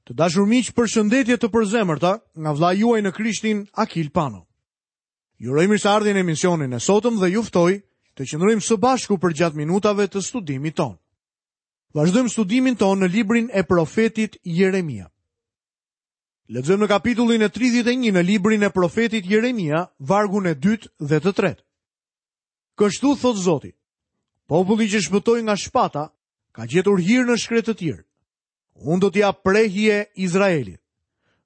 Të dashur miq, përshëndetje të përzemërta nga vëllai juaj në Krishtin Akil Pano. Ju uroj mirëseardhje në emisionin e sotëm dhe ju ftoj të qëndrojmë së bashku përgjatë minutave të studimit tonë. Vazhdojmë studimin tonë në librin e profetit Jeremia. Lexojmë në kapitullin e 31 në librin e profetit Jeremia, vargun e dytë dhe të tretë. Kështu thotë Zoti, populli që shpëtoi nga shpata, ka gjetur hir në shkretëtirë. Unë do t'i jap prehje Izraelit.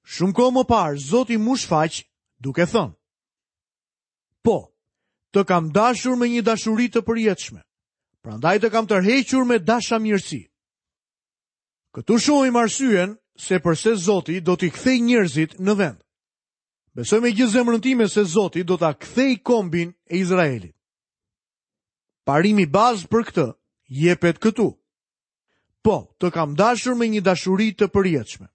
Shumë kohë më parë, Zoti m'u shfaq duke thënë. Po, të kam dashur me një dashuri të përjetshme, prandaj të kam tërhequr me dashamirësi. Këtu shohim arsyen se përse Zoti do t'i kthejë njerëzit në vend. Besoj me gjithë zemrën time se Zoti do ta kthejë kombin e Izraelit. Parimi bazë për këtë jepet këtu. Po, të kam dashur me një dashuri të përjetshme.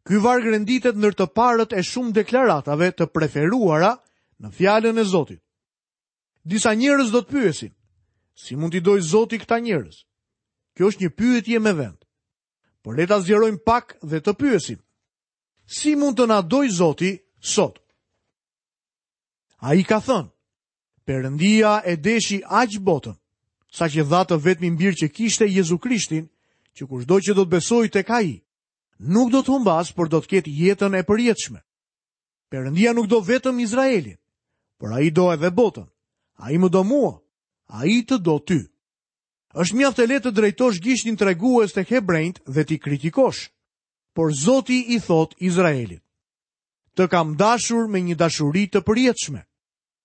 Ky varg renditet ndër të parët e shumë deklaratave të preferuara në fjalën e Zotit. Disa njerëz do të pyesin, si mund t'i dojë Zoti këta njerëz? Kjo është një pyetje me vend. Por le ta zgjerojmë pak dhe të pyesim. Si mund të na dojë Zoti sot? Ai ka thënë, Perëndia e deshi aq botën, saqë dha të vetmin bir që kishte Jezu Krishtin, që kushdo që do të besojë tek ai, nuk do të humbasë, por do të ketë jetën e përjetshme. Perëndia nuk do vetëm Izraelin, por ai do edhe botën. Ai më do mua, ai të do ty. Është mjaft e lehtë të drejtosh gishtin tregues tek hebrenjtë dhe t'i kritikosh. Por Zoti i thotë Izraelit: Të kam dashur me një dashuri të përjetshme.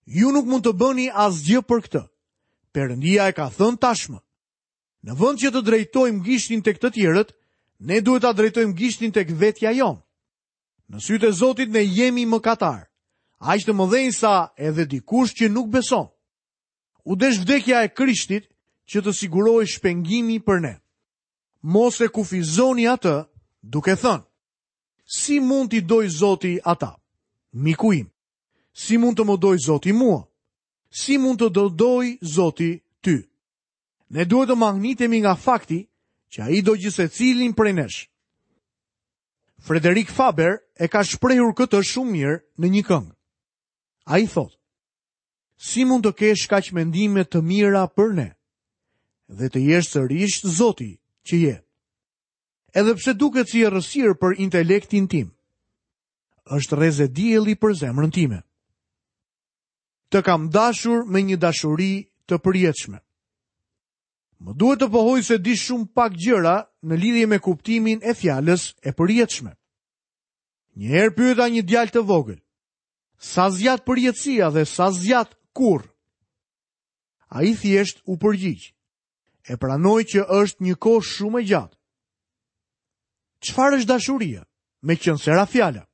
Ju nuk mund të bëni asgjë për këtë. Perëndia e ka thënë tashmë. Në vend që të drejtojmë gishtin tek të tjerët, ne duhet ta drejtojmë gishtin tek vetja jonë. Në sytë e Zotit ne jemi mëkatarë, aq të mëdhenj sa edhe dikush që nuk beson. U desh vdekja e Krishtit që të sigurohej shpengimi për ne. Mos e kufizoni atë duke thënë: Si mund t'i dojë Zoti ata? Miku im, Si mund të më dojë Zoti mua? Si mund të të dojë Zoti ty? Ne duhet të mahnitemi nga fakti që ai do gjithsecilin prej nesh. Frederik Faber e ka shprehur këtë shumë mirë në një këngë. Ai thotë, si mund të kesh kaq mendime të mira për ne dhe të jesh sërish Zoti që je. Edhe pse duket si errësirë për intelektin tim, është rreze dielli për zemrën time. Të kam dashur me një dashuri të përjetshme. Më duhet të pohoj se di shumë pak gjëra në lidhje me kuptimin e fjalës e përjetshme. Një herë pyeta një djalë të vogël, sa zgjat përjetësia dhe sa zgjat kurrë? Ai thjesht u përgjigj. E pranoj që është një kohë shumë e gjatë. Çfarë është dashuria? Meqenëse ra fjala.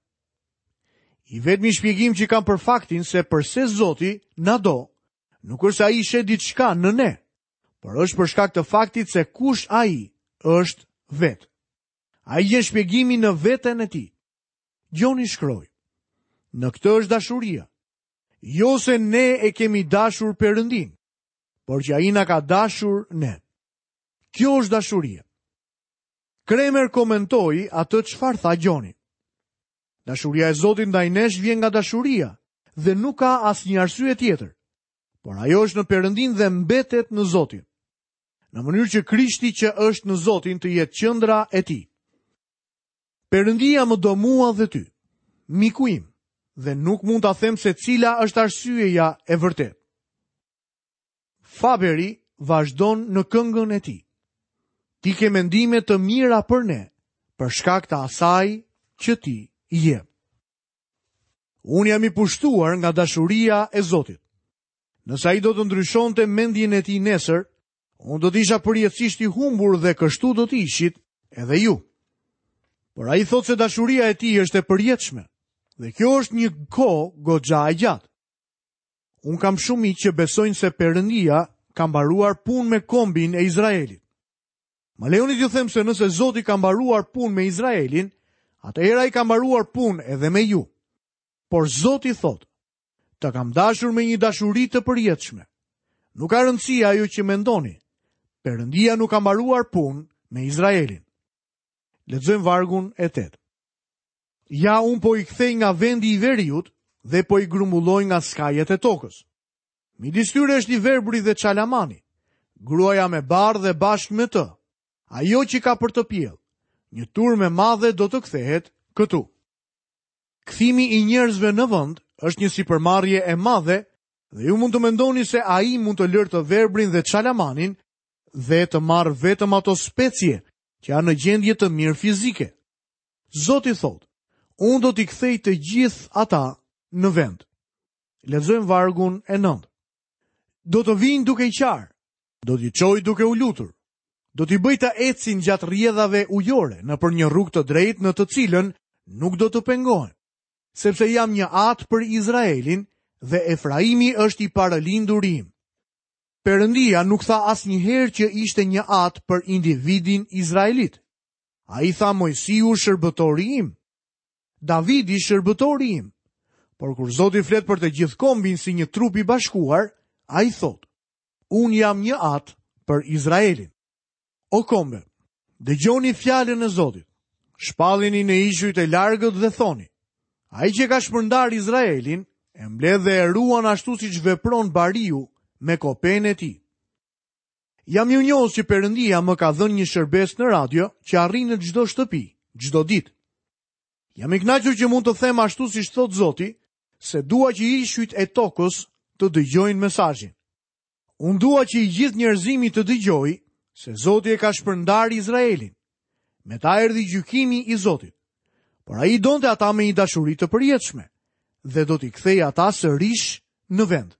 I vetmi shpjegim që kam për faktin se përse Zoti na do, nuk është se ai sheh diçka në ne, por është për shkak të faktit se kush ai është vetë. Ai gjen shpjegimin në veten e tij. Gjoni shkroi. Në këtë është dashuria. Jo se ne e kemi dashur Perëndinë, por që ai na ka dashur ne. Kjo është dashuria. Kremer komentoi atë çfarë tha Gjoni. Dashuria e Zotit ndaj nesh vjen nga dashuria dhe nuk ka asnjë arsye tjetër. Por ajo është në Perëndinë dhe mbetet në Zotin. Në mënyrë që Krishti që është në Zotin të jetë qendra e tij. Perëndia më do mua dhe ty, miku im, dhe nuk mund ta them se cila është arsyeja e vërtetë. Faberi vazhdon në këngën e tij. Ti ke mendime të mira për ne, për shkak të asaj që ti je. Unë jam i pushtuar nga dashuria e Zotit. Nëse ai do të ndryshonte mendjen e tij nesër, unë do të isha përjetësisht i humbur dhe kështu do të ishit edhe ju. Por ai thotë se dashuria e tij është e përjetshme dhe kjo është një kohë goxha e gjatë. Unë kam shumë miq që besojnë se Perëndia ka mbaruar punë me kombin e Izraelit. Më lejoni t'ju them se nëse Zoti ka mbaruar punë me Izraelin, atëherë ai ka mbaruar punë edhe me ju. Por Zoti thotë, të kam dashur me një dashuri të përjetshme. Nuk ka rëndësi ajo që mendoni. Perëndia nuk ka mbaruar punë me Izraelin. Lexojmë vargun e 8. Ja unë po i kthej nga vendi i veriut dhe po i grumbulloj nga skajet e tokës. Midis tyre është i verbri dhe çalamani, gruaja me barrë dhe bashkë me të, ajo që ka për të pjellë. Një turmë e madhe do të kthehet këtu. Kthimi i njerëzve në vend është një sipërmarrje e madhe dhe ju mund të mendoni se ai mund të lërë të verbrin dhe çalamanin dhe të marrë vetëm ato specie që janë në gjendje të mirë fizike. Zoti thotë, unë do t'i kthej të gjithë ata në vend. Lexojmë vargun e 9. Do të vijnë duke qarë, do t'i çoj duke u lutur, do t'i bëj të ecin gjatë rrjedhave ujore nëpër një rrugë të drejtë në të cilën nuk do të pengohen, sepse jam një atë për Izraelin dhe Efraimi është i parëlinduri im. Perëndia nuk tha asnjëherë që ishte një atë për individin izraelit. Ai tha Moisiu shërbëtori im, Davidi shërbëtori im. Por kur Zoti flet për të gjithë kombin si një trup i bashkuar, ai thotë, unë jam një atë për Izraelin. O kombe, dëgjoni fjalën e Zotit. Shpallini në ishujt e largët dhe thoni, ai që ka shpërndarë Izraelin, e mbledh dhe e ruan ashtu siç vepron bariu me kopenë e tij. Jam mirënjohës që Perëndia më ka dhënë një shërbesë në radio që arrin në çdo shtëpi, çdo ditë. Jam i kënaqur që mund të them ashtu siç thotë Zoti, se dua që ishujt e tokës të dëgjojnë mesazhin. Unë dua që i gjithë njerëzimi të dëgjojë se Zoti e ka shpërndarë Izraelin. Me ta erdhi gjykimi i Zotit. Por ai i donte ata me një dashuri të përjetshme dhe do t'i kthejë ata sërish në vend.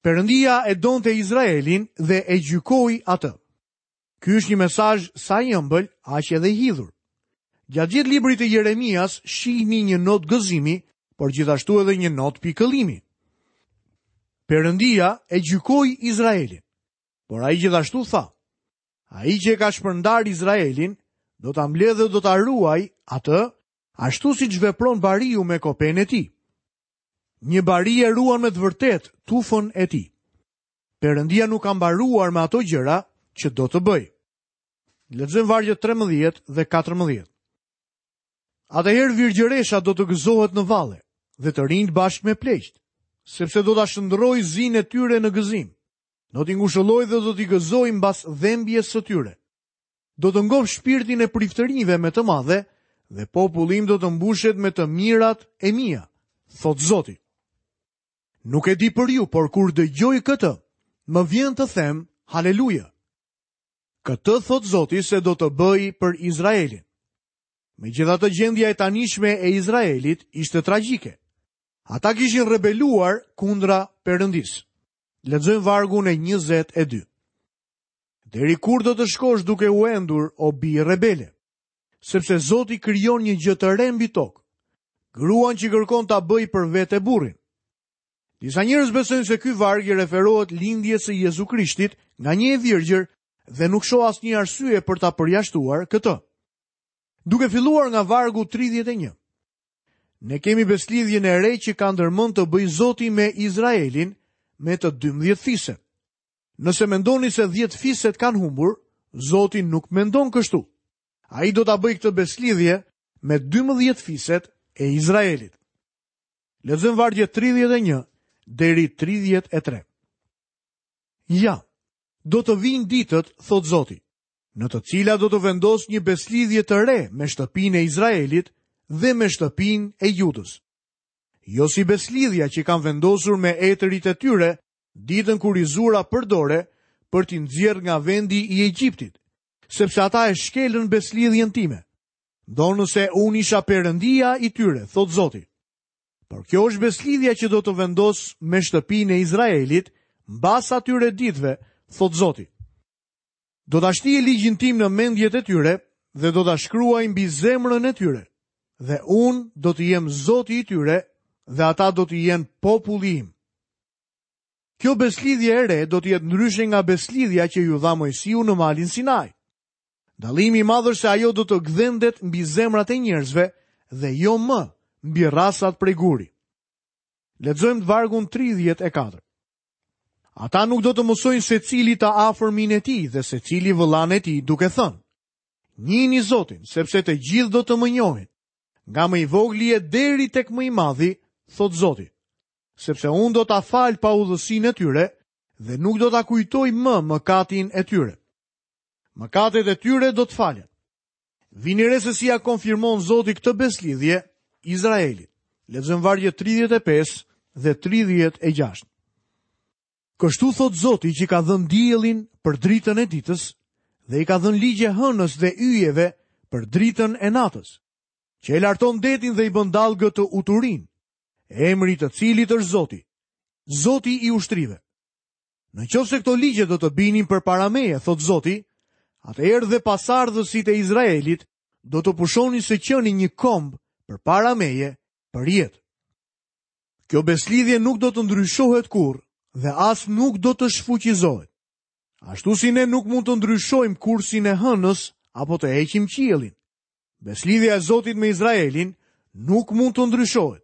Perëndia e donte Izraelin dhe e gjykoi atë. Ky është një mesazh sa i ëmbël, aq edhe i hidhur. Gjatë gjithë librit të Jeremias shihni një notë gëzimi, por gjithashtu edhe një notë pikëllimi. Perëndia e gjykoi Izraelin, por ai gjithashtu tha: Ai që e ka shpërndarë Izraelin, do ta mbledhë dhe do ta ruajë atë, ashtu siç vepron bariu me kopenë e tij. Një bari e ruan me të vërtetë tufën e tij. Perëndia nuk ka mbaruar me ato gjëra që do të bëjë. Lexojmë vargjet 13 dhe 14. Atëherë virgjëresha do të gëzohet në valle dhe të rinjtë bashkë me pleqtë, sepse do ta shndërroj zinë e tyre në gëzim. Do t'i ngushëlloj dhe do t'i gëzoj mbas dhembjes së tyre. Do të ngop shpirtin e priftërinjve me të madhe dhe populli im do të mbushet me të mirat e mia, thotë Zoti. Nuk e di për ju, por kur dëgjoj këtë, më vjen të them haleluja. Këtë thotë Zoti se do të bëjë për Izraelin. Megjithatë gjendja e tanishme e Izraelit ishte tragjike. Ata kishin rebeluar kundra Perëndisë. Lexojmë vargun e 22. Deri kur do të shkosh duke u endur, o bijë rebele? Sepse Zoti krijon një gjë të re mbi tokë, gruan që kërkon ta bëjë për vete burrin. Disa njerëz besojnë se ky varg i referohet lindjes së Jezu Krishtit nga një e virgjër dhe nuk shoh asnjë arsye për ta përjashtuar këtë. Duke filluar nga vargu 31. Ne kemi besëlidhjen e re që ka ndërmend të bëjë Zoti me Izraelin me të 12 fiset. Nëse mendoni se 10 fiset kanë humbur, Zoti nuk mendon kështu. Ai do ta bëjë këtë besëlidhje me 12 fiset e Izraelit. Lexojmë vargjet 31 deri 33. Ja, do të vijnë ditët, thotë Zoti, në të cilat do të vendos një besëlidhje të re me shtëpinë e Izraelit dhe me shtëpinë e Judës. Jo si besëlidhja që kam vendosur me etërit e tyre ditën kur i zura për dore për t'i nxjerrë nga vendi i Egjiptit, sepse ata e shkelën besëlidhjen time. Ndonëse unë isha Perëndia i tyre, thotë Zoti. Por kjo është besëlidhja që do të vendos me shtëpinë e Izraelit mbas atyre ditëve, thotë Zoti. Do ta shtij ligjin tim në mendjet e tyre dhe do ta shkruaj mbi zemrën e tyre. Dhe unë do të jem Zoti i tyre dhe ata do të jenë populli im. Kjo besëlidhje e re do të jetë ndryshe nga besëlidhja që iu dha Moisiu në malin Sinai. Dallimi i madh është se ajo do të gdhendet mbi zemrat e njerëzve dhe jo më mbi rrasat prej guri. Lexojmë vargun 34. Ata nuk do të mësojnë secili të afërmin e tij dhe secili vëllanë e tij duke thënë. Njihni Zotin, sepse të gjithë do të më njohin, nga më i vogli e deri tek më i madhi, thotë Zoti. Sepse unë do ta fal paudhësinë e tyre dhe nuk do ta kujtoj më mëkatin e tyre. Mëkatet e tyre do të falen. Vini re se si ia konfirmon Zoti këtë besëlidhje Izraelit. Lexojmë vargjet 35 dhe 36. Kështu thotë Zoti që ka dhënë diellin për dritën e ditës dhe i ka dhënë ligje hënës dhe yjeve për dritën e natës, që e larton detin dhe i bën dallgët të uturijnë, emri i të cilit është Zoti, Zoti i ushtrive. Në qoftë se këto ligje do të binin përpara meje, thotë Zoti, atëherë dhe pasardhësit e Izraelit do të pushonin së qeni një komb përpara meje për jetë. Kjo besëlidhje nuk do të ndryshohet kurrë dhe as nuk do të shfuqizohet. Ashtu si ne nuk mund të ndryshojmë kursin e hënës apo të heqim qiellin. Besëlidhja e Zotit me Izraelin nuk mund të ndryshohet.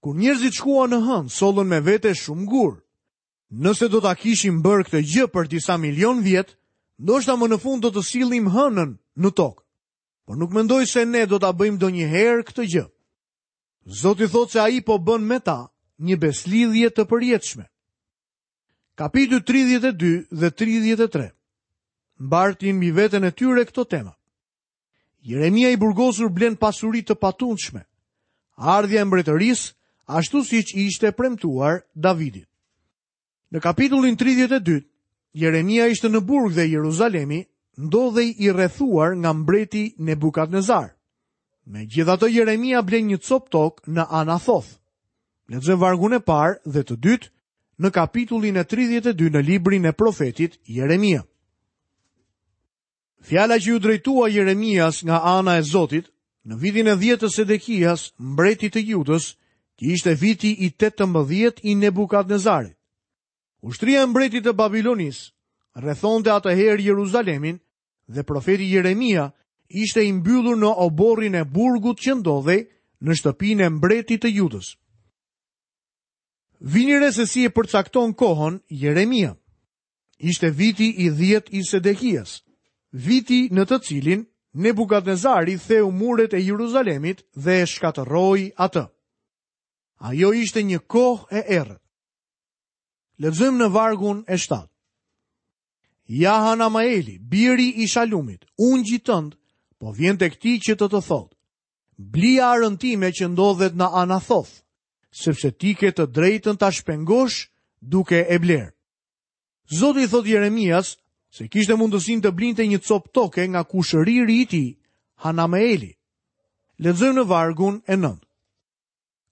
Kur njerëzit shkuan në hënë, sollën me vete shumë gurë. Nëse do ta kishim bërë këtë gjë për disa milion vjet, ndoshta më në fund do të sillnim hënën në tokë. Por nuk mendoj se ne do ta bëjmë ndonjëherë këtë gjë. Zoti thotë se ai po bën me ta një besëlidhje të përjetshme. Kapitujt 32 dhe 33 mbartin mbi veten e tyre këto tema. Jeremia i burgosur blen pasuri të patundshme. Ardhja e mbretërisë, ashtu siç i ishte premtuar Davidit. Në kapitullin 32, Jeremia ishte në burg dhe Jeruzalemi ndodhej i rrethuar nga mbreti Nebukadnezar. Megjithatë Jeremia blen një copë tokë në Anathoth. Lexojmë vargun e parë dhe të dytë në kapitullin e 32 në librin e profetit Jeremia. Fjala që iu drejtua Jeremias nga ana e Zotit, në vitin e 10 të Sedekias, mbretit të Judës, që ishte viti i 18 i Nebukadnezarit. Ushtria e mbretit të Babilonisë rrethonte atëherë Jeruzalemin dhe profeti Jeremia ishte i mbyllur në oborrin e burgut që ndodhej në shtëpinë e mbretit të Judës. Vini re se si e përcakton kohën Jeremia. Ishte viti i 10 i Sedekias, viti në të cilin Nebukadnezari theu muret e Jeruzalemit dhe e shkatërroi atë. Ajo ishte një kohë e errët. Lexojmë në vargun e 7. Ja Hanamaeli, biri i Shalumit, ungjit tënd, po vjen tek ti që të të thotë. Bli arën time që ndodhet në Anathoth, sepse ti ke të drejtën ta shpengosh duke e blerë. Zoti i thotë Jeremias se kishte mundësinë të blinte një copë toke nga kushëriri i tij, Hanameeli. Lexojmë në vargun e 9.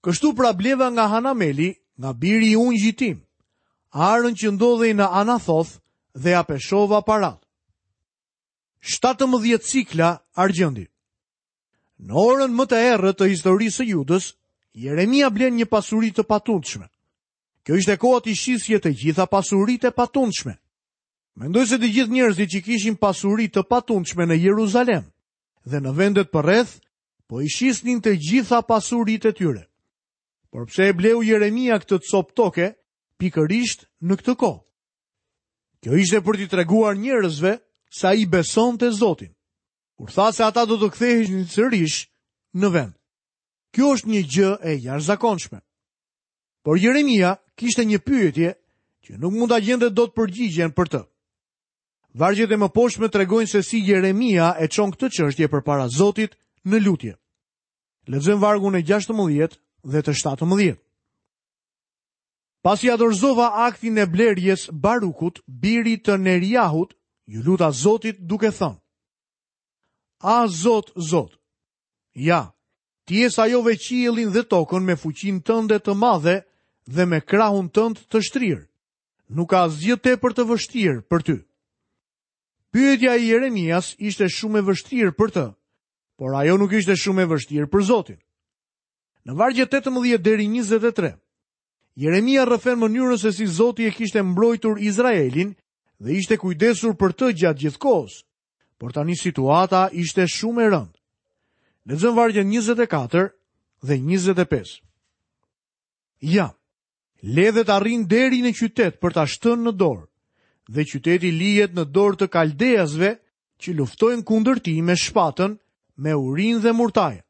Kështu pra bleva nga Hanameli, nga biri i ungjit tim, arën që ndodhej në Anathoth dhe ia peshova paratë. 17 sikla argjendi. Në orën më të errët të historisë së Judës, Jeremia blen një pasuri të patundshme. Kjo ishte koha t'i shisje të gjitha pasuritë e patundshme. Mendoj se të gjithë njerëzit që kishin pasuri të patundshme në Jeruzalem dhe në vendet përreth, po i shisnin të gjitha pasuritë e tyre. Por pse e bleu Jeremia këtë copë toke pikërisht në këtë kohë? Kjo ishte për t'i treguar njerëzve se ai besonte Zotin. Kur tha se ata do të ktheheshin sërish në vend. Kjo është një gjë e jashtëzakonshme. Por Jeremia kishte një pyetje që nuk mund ta gjente dot përgjigjen për të. Vargjet e mëposhtme tregojnë se si Jeremia e çon këtë çështje përpara Zotit në lutje. Lexojmë vargun e 16 dhe të 17. Pasi ia dorëzova aktin e blerjes Barukut, birit të Neriahut, iu luta Zotit duke thënë: A Zot, Zot, ja, ti e sajove qiellin dhe tokën me fuqinë tënde të madhe dhe me krahun tënd të shtrirë. Nuk ka asgjë tepër të vështirë për ty. Pyetja e Jeremias ishte shumë e vështirë për të, por ajo nuk ishte shumë e vështirë për Zotin. Në vargjet 18 deri 23, Jeremia rrëfen mënyrën se si Zoti e kishte mbrojtur Izraelin dhe ishte kujdesur për të gjatë gjithë kohës. Por tani situata ishte shumë e rëndë. Lexojmë vargjet 24 dhe 25. Ja, ledhet arrijnë deri në qytet për ta shtënë në dorë, dhe qyteti lihet në dorë të kaldeasve. që luftojnë kundër tij me shpatën, me urinë dhe murtajën.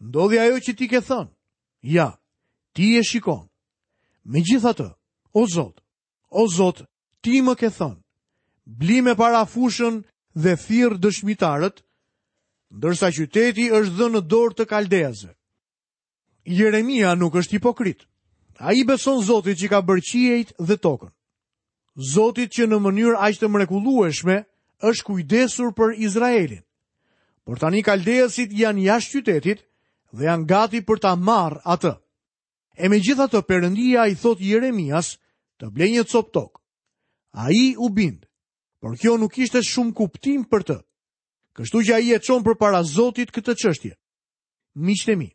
Ndodhi ajo që ti ke thënë. Ja, ti e shikon. Megjithatë, o Zot, o Zot, ti më ke thënë. Bli me para fushën dhe thirr dëshmitarët, ndërsa qyteti është dhënë në dorë të kaldeasve. Jeremia nuk është hipokrit. Ai i beson Zotit që ka bërë qiejt dhe tokën. Zotit që në mënyrë aq të mrekullueshme është kujdesur për Izraelin. Por tani kaldeasit janë jashtë qytetit dhe janë gati për ta marrë atë. E megjithatë Perëndia i thotë Jeremias të blejë një copë tokë. Ai u bind, por kjo nuk kishte shumë kuptim për të. Kështu që ai e çon përpara Zotit këtë çështje. Miqtë e mi,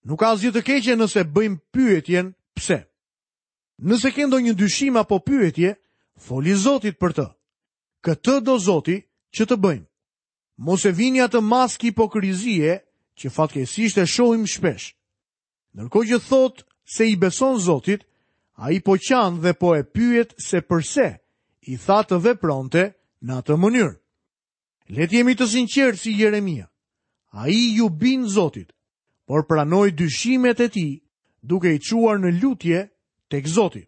nuk ka asgjë të keqe nëse bëjmë pyetjen pse. Nëse ke ndonjë dyshim apo pyetje, foli Zotit për të. Këtë do Zoti që të bëjmë. Mos e vini atë maskë hipokrizie që fatkeqësisht e shohim shpesh. Ndërkohë që thotë se i beson Zotit, ai po qan dhe po e pyet se përse i tha të vepronte në atë mënyrë. Le të jemi të sinqertë si Jeremia. Ai iu bind Zotit, por pranoi dyshimet e tij duke i çuar në lutje tek Zoti.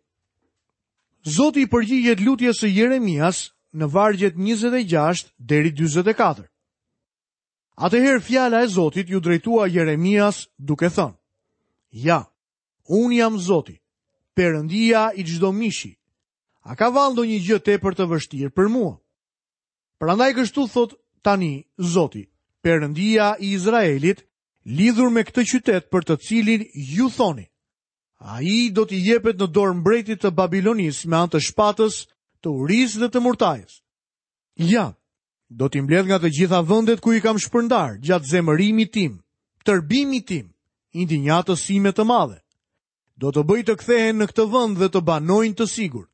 Zoti i përgjigjet lutjes së Jeremias në vargjet 26 deri 44. Atëherë fjala e Zotit iu drejtua Jeremias duke thënë: Ja, unë jam Zoti, Perëndia i çdo mishi. A ka vallë ndonjë gjë tepër të vështirë për mua? Prandaj kështu thotë tani Zoti, Perëndia i Izraelit, lidhur me këtë qytet për të cilin ju thoni, ai do t'i jepet në dorë mbretit të Babilonisë me anë të shpatës, të urisë dhe të murtajës. Ja, do t'i mbledh nga të gjitha vendet ku i kam shpërndarë gjatë zemërimit tim, tërbimit tim, indinjatës sime të madhe. Do të bëj të kthehen në këtë vend dhe të banojnë të sigurt.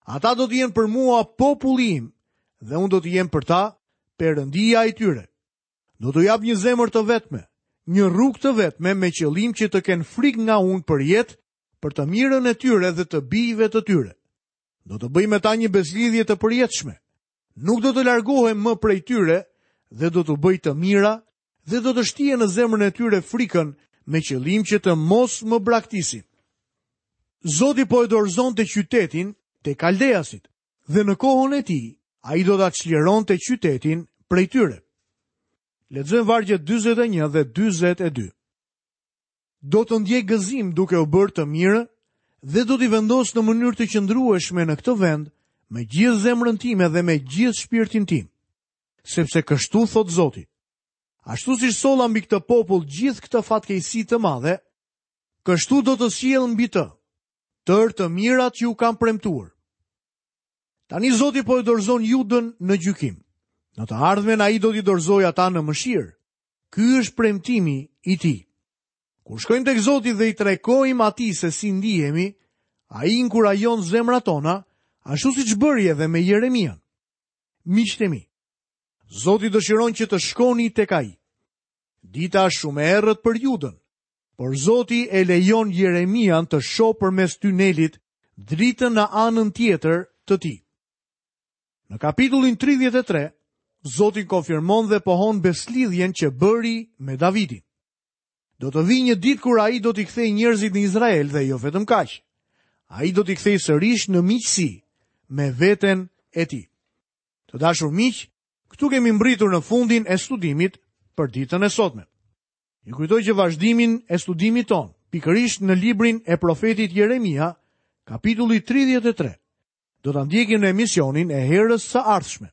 Ata do të jenë për mua populli im dhe unë do të jem për ta Perëndia i tyre. Do t'u jap një zemër të vetme, një rrugë të vetme me qëllim që të kenë frikë nga unë përjetë, për të mirën e tyre dhe të bijve të tyre. Do të bëj me ta një besëlidhje të përjetshme. Nuk do të largohem më prej tyre dhe do t'u bëj të mira dhe do të shtijë në zemrën e tyre frikën me qëllim që të mos më braktisin. Zoti po e dorëzonte qytetin te kaldeasit dhe në kohën e tij ai do ta çlironte qytetin prej tyre. Lexojmë vargjet 41 dhe 42. Do të ndjej gëzim duke u bërë të mirë dhe do t'i vendos në mënyrë të qëndrueshme në këtë vend me gjithë zemrën time dhe me gjithë shpirtin tim. Sepse kështu thotë Zoti. Ashtu siç solla mbi këtë popull gjithë këtë fatkeqësi të madhe, kështu do të sjell mbi të tërë të mirat që u kam premtuar. Tani Zoti po e dorëzon Judën në gjykim. Në të ardhmen ai do t'i dorëzojë ata në mëshirë. Ky është premtimi i tij. Kur shkojmë tek Zoti dhe i tregojmë atij se si ndihemi, ai inkurajon zemrat tona, ashtu siç bëri edhe me Jeremian. Miqtë e mi, Zoti dëshiron që të shkoni tek ai. Dita është shumë e errët për Judën, por Zoti e lejon Jeremian të shohë përmes tunelit dritën në anën tjetër të tij. Në kapitullin 33, Zoti konfirmon dhe pohon besëlidhjen që bëri me Davidin. Do të vijë një ditë kur ai do t'i kthejë njerëzit në Izrael dhe jo vetëm kaq. Ai do t'i kthejë sërish në miqësi me veten e tij. Të dashur miq, këtu kemi mbërritur në fundin e studimit për ditën e sotme. Ju kujtoj që vazhdimin e studimit tonë, pikërisht në librin e profetit Jeremia, kapitulli 33, do ta ndjekim në emisionin e herës së ardhshme.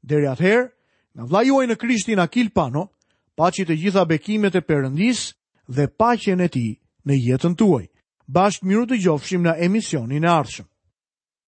Deri atëherë, nga vëllai juaj në Krishtin Akil Pano, paçi të gjitha bekimet e Perëndisë dhe paqen e tij në jetën tuaj. Bashkë mirudëgjofshim në emisionin e ardhshëm.